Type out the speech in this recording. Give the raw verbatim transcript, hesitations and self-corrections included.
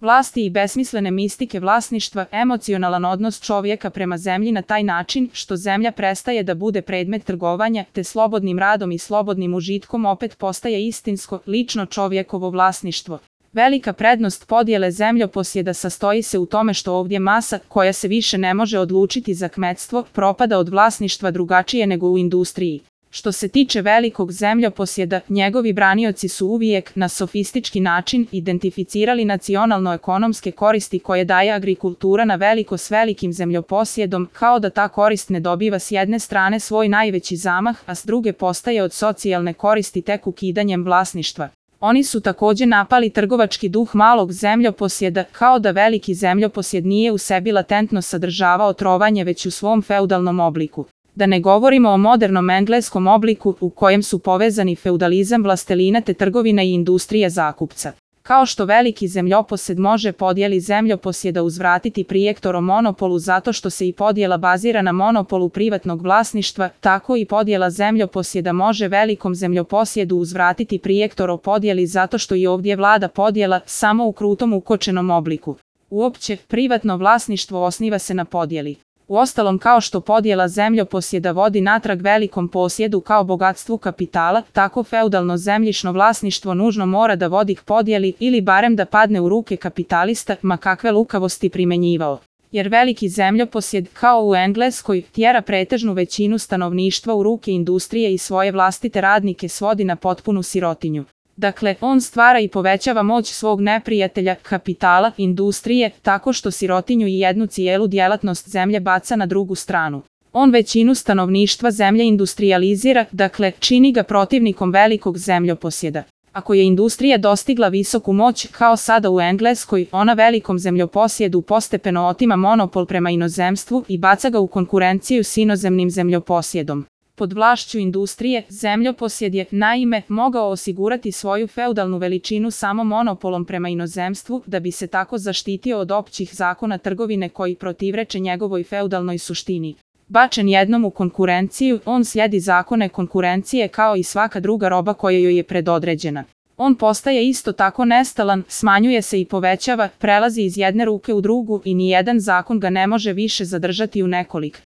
vlasti i besmislene mistike vlasništva, emocionalan odnos čovjeka prema zemlji na taj način što zemlja prestaje da bude predmet trgovanja, te slobodnim radom i slobodnim užitkom opet postaje istinsko, lično čovjekovo vlasništvo. Velika prednost podjele zemljoposjeda sastoji se u tome što ovdje masa, koja se više ne može odlučiti za kmetstvo, propada od vlasništva drugačije nego u industriji. Što se tiče velikog zemljoposjeda, njegovi branioci su uvijek, na sofistički način, identificirali nacionalno-ekonomske koristi koje daje agrikultura na veliko s velikim zemljoposjedom, kao da ta korist ne dobiva s jedne strane svoj najveći zamah, a s druge postaje od socijalne koristi tek ukidanjem vlasništva. Oni su također napali trgovački duh malog zemljoposjeda, kao da veliki zemljoposjed nije u sebi latentno sadržavao trovanje već u svom feudalnom obliku. Da ne govorimo o modernom engleskom obliku u kojem su povezani feudalizam vlastelina te trgovina i industrija zakupca. Kao što veliki zemljoposjed može podjeli zemljoposjeda uzvratiti projektorom monopolu zato što se i podjela bazira na monopolu privatnog vlasništva, tako i podjela zemljoposjeda može velikom zemljoposjedu uzvratiti projektoro podjeli zato što i ovdje vlada podjela, samo u krutom ukočenom obliku. Uopće, privatno vlasništvo osniva se na podjeli. Uostalom, kao što podjela zemljoposjeda vodi natrag velikom posjedu kao bogatstvu kapitala, tako feudalno zemljišno vlasništvo nužno mora da vodi k podjeli ili barem da padne u ruke kapitalista, ma kakve lukavosti primenjivao. Jer veliki zemljoposjed, kao u Engleskoj, tjera pretežnu većinu stanovništva u ruke industrije i svoje vlastite radnike svodi na potpunu sirotinju. Dakle, on stvara i povećava moć svog neprijatelja, kapitala, industrije, tako što sirotinju i jednu cijelu djelatnost zemlje baca na drugu stranu. On većinu stanovništva zemlje industrializira, dakle, čini ga protivnikom velikog zemljoposjeda. Ako je industrija dostigla visoku moć, kao sada u Engleskoj, ona velikom zemljoposjedu postepeno otima monopol prema inozemstvu i baca ga u konkurenciju s inozemnim zemljoposjedom. Pod vlašću industrije, zemljoposjed je, naime, mogao osigurati svoju feudalnu veličinu samo monopolom prema inozemstvu, da bi se tako zaštitio od općih zakona trgovine koji protivreče njegovoj feudalnoj suštini. Bačen jednom u konkurenciju, on slijedi zakone konkurencije kao i svaka druga roba koja joj je predodređena. On postaje isto tako nestalan, smanjuje se i povećava, prelazi iz jedne ruke u drugu i nijedan zakon ga ne može više zadržati u nekolik.